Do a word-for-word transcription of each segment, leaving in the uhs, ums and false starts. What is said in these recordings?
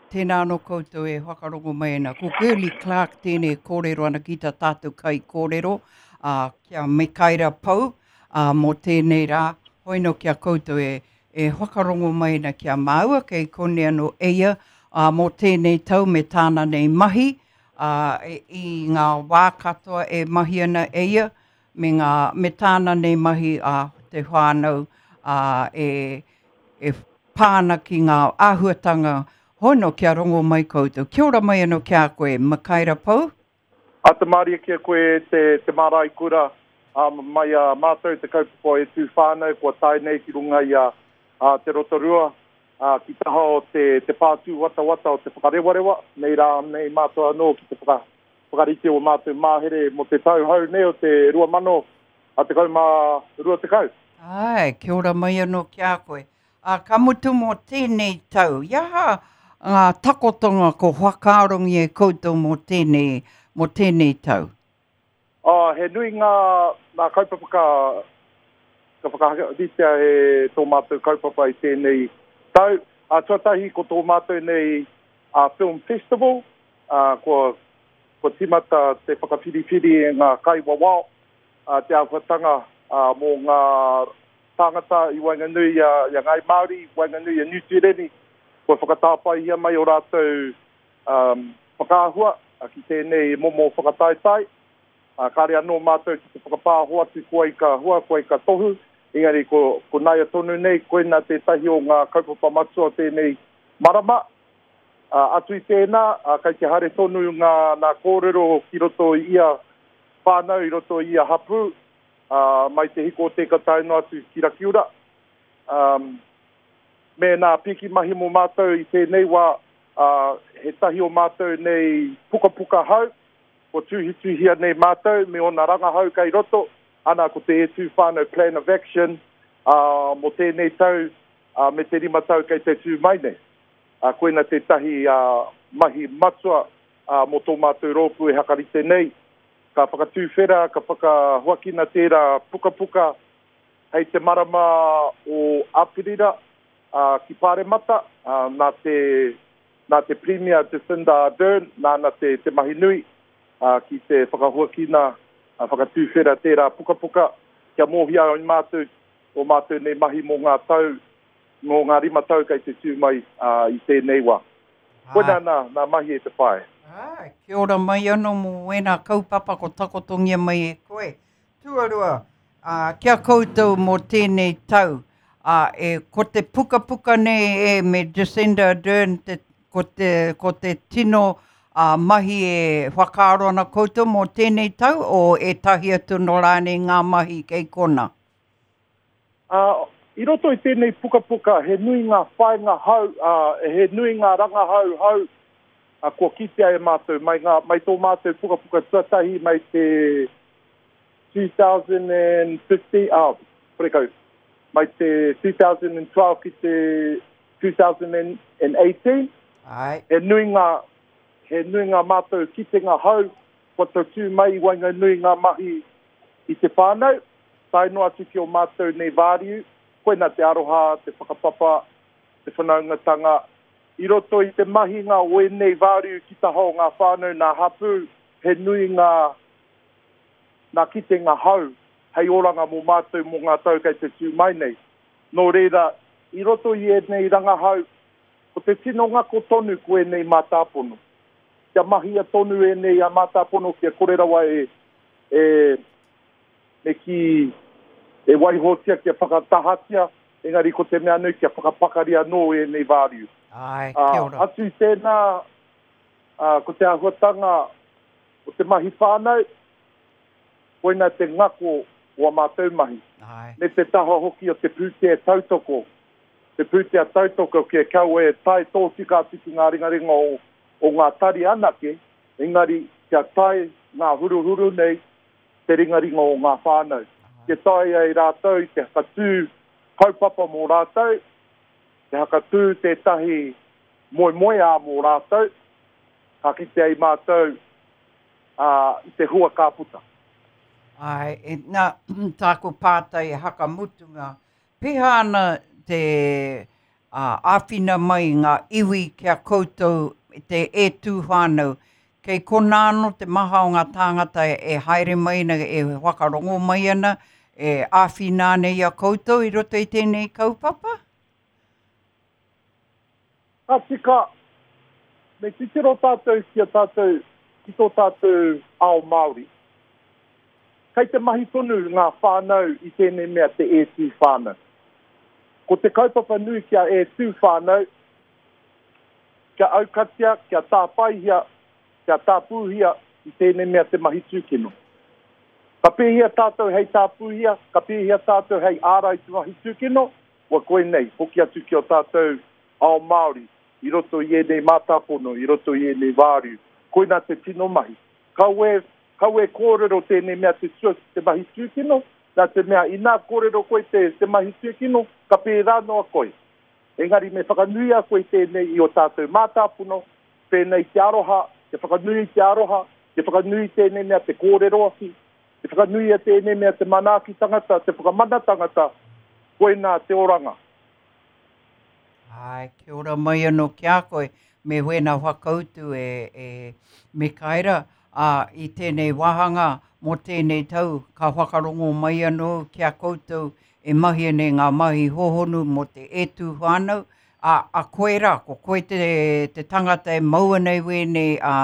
Tēnā anō koutou e whakarongo mai ana. Ko Girlie Clarke tēnei e kōrero ana ki tā tātou kaikōrero, ā, ki a Mikaera Pou, ā, mō tēnei rā. Hoi nō ki a koutou e, e whakarongo mai ana ki a māua, kei konei anō e ia, ā, mō tēnei tau me tāna nei mahi, ā, e, i ngā wā katoa e mahi ana e ia, me, ngā, me tāna nei mahi a te whānau, ā, e, e pā ana ki ngā āhuatanga hono kia rongo mai koutou. Kia ora mai anō ki a koe, Mikaera Pou. Ata mārie ki a koe te, te mārai kura, a, mai a mātou te kaupapa E Tū Whānau kua tae nei ki runga i a, a Te Rotorua, a, ki taha o te, te pātū watawata o te whakarewarewa, nei rā nei mātou anō ki te whaka, whakarite o mātou māhere mo te tau hou nei o te rua mano a tekau mā rua tekau. Ai, kia ora mai anō ki a koe. A, ka mutu mō tēnei tau, i aha ngā takotonga ko whakaarongi e koutou mō tēnei, mō tēnei tau? Uh, he nui ngā, ngā kaupapa ka, ka whakaritea e tō mātou kaupapa i tēnei tau. Uh, tuatahi ko tō mātou nei uh, Film Festival, uh, kua, kua timata te whakawhiriwhiri e ngā kaiwawao, uh, te āhuatanga uh, mō ngā tāngata i waenganui i a, i a Ngāi Māori, waenganui i a Niu Tīreni, kua whakatāpaihia mai o rātou um, whakaahua ki tēnei momo whakataetae. Uh, kāre anō mātou ki te whakapāho atu koe ka hua, koe ka tohu, engari ko, ko naia tonu nei, koina tētahi o ngā kaupapa matua o tēnei marama. Uh, atu i tēnā, uh, kai te haere tonu ngā, ngā kōrero ki roto i ia whānau, i roto i ia hapū, uh, mai te hiko o te ka tae noa atu ki Rakiura. Um, me nā piki mahi mō mātou i tēnei wā, uh, he tahi o mātou nei pukapuka hau, ko tuhituhia nei mātou me ona rangahau kei roto, ana ko te E Tū Whānau Plan of Action uh, mō tēnei tau uh, me te rima tau kei te tū mai nei. Uh, koina tētahi uh, mahi matua uh, mō tō mātou rōpū e hakarite nei. Ka whakatūwhera, ka whakahuakina tērā pukapuka hei te marama o Aperira uh, ki Pāremata, uh, nā te, nā te Premier Jacinda Ardern, nāna te, te mahi nui uh, ki te whakahuakina, uh, whakatūwhera tērā pukapuka, kia mōhia ai mātou, o mātou nei mahi mō ngā tau, mō ngā rima tau kei te tū mai uh, i tēnei wā. Koina nā, nā mahi e te whae. Ai, kia ora mai anō mō wēnā kaupapa ko takotongia mai e koe. Tuarua, uh, kia koutou mō tēnei tau, uh, e, ko te pukapuka nei e me Jacinda Ardern, te, ko, te, ko te tino uh, mahi e whakaaro ana koutou mō tēnei tau, o ētahi atu nō rānei ngā mahi kei kona? Uh, i roto i tēnei pukapuka, he nui ngā whāinga hau, uh, he nui ngā rangahau hau, uh, kua kitea e mātou, mai, ngā, mai tō mātou pukapuka tuatahi, mai te two thousand fifteen, ah, parekau, mai te two thousand twelve ki te two thousand eighteen. Ai. He nui ngā, he nui ngā mātou kitenga hau, kua tautū mai i waenganui ngā mahi i te whānau, tae noa atu ki o mātou nei vāriu, koina te aroha, te whakapapa, te whanaungatanga. I roto i te mahinga o ēnei vāriu ki taha o ngā whānau nā hapū, he nui ngā, ngā kitenga hau hei oranga mō mātou mō ngā tau kei te tū mai nei. Nō reira, i roto i ēnei rangahau, ko te tino ngako tonu ko ēnei mātāpono. Kia mahia tonu ēnei a mātāpono kia kore rawa e, e, me ki e waihotia kia whakatahatia, engari ko te mea nui kia whakapakari anō ēnei vāriu. Ai, kia ora. Uh, atu i tēnā, uh, ko te āhuatanga o te mahi whānau, koina te ngako o a mātou mahi. Ai. Me te taha hoki o te pūtea tautoko. Te pūtea tautoko kia kaua e tae tōtika atu ki ngā ringaringa o, o ngā tari anake, engari kia tae ngā huruhuru nei te ringaringa o ngā whānau. Kia tae ai rātou te hakatū kaupapa mō rātou, te hakatū tētahi moemoeā mō rātou, ka kite ai mātou uh, i te hua ka puta. Ai, e, nā, tāku pātai hakamutunga, pēhea ana te, ā, āwhina mai ngā iwi ki a koutou te E Tū Whānau. Kei konā anō te maha o ngā tāngata e haere mai ana, e whakarongo mai ana, e āwhina ana i a koutou i roto i tēnei kaupapa? Ka tika, me titiro tātou ki a tātou, ki tō tātou ao Māori. Kei te mahi tonu ngā whānau i tēnei mea te E Tū Whānau. Ko te kaupapa nui kia E Tū Whānau, kia aukatia, kia tāpaihia, kia tāpūhia i tēnei mea te mahi tūkino. Ka pēhia tātou hei tāpūhia, ka pēhia tātou hei ārai te mahi tūkino, ua koinei, hoki atu ki o tātou ao Māori, i roto i ēnei mātāpono, i roto i ēnei wāriu. Koina te tino mahi. Kawe, kawe kōrero tēnei mea te, tua, te mahi tūkino, nā te mea inā kōrero koe te, te mahi tūkino, ka pērā noa koe. Engari me whakanuia koe tēnei i o tātou mātāpono, pēnei te aroha, te whakanui te aroha, te whakanui tēnei mea te kōrero aki, te whakanuia tēnei mea te manaaki tangata, te whakamana tangata, koina te oranga. Ai, kia ora mai anō ki a koe, me wēnā whakautu e, e Mikaera, ā, i tēnei wāhanga mō tēnei tau, ka whakarongo mai anō ki a koutou e mahi nei ngā mahi hohonu mō te E Tū Whānau, ā, a koe rā, ko koe te, te tangata e mau ana i wēnei ā,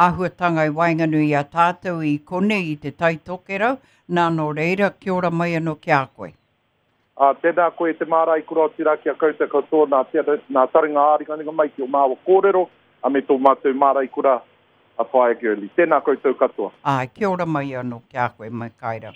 āhuatanga i waenganui i a tātou i konei i te Tai Tokerau, nā nō reira, kia ora mai anō ki a koe. Uh, tēnā koe te mārai kura o tira ki a koutou katoa nā, nā taringa āringaringa mai ki o māua kōrero, a me tō mātou mārai kura a Whaea Girlie. Tēnā koutou katoa. Ai, kia ora mai anō ki a koe, Mikaera.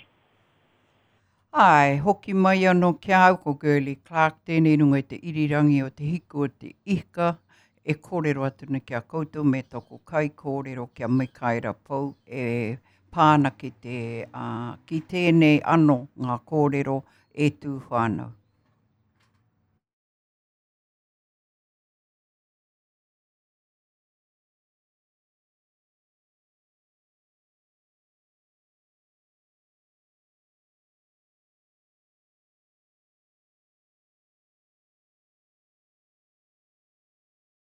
Ai, hoki mai anō ki au ko Girlie Clark tēnei runga i te irirangi o te hiku o te ika e kōrero atu nei ki a koutou me tōku kai kōrero ki a Mikaera Pou e pāna ki, te, uh, ki tēnei anō ngā kōrero E Tū Whānau.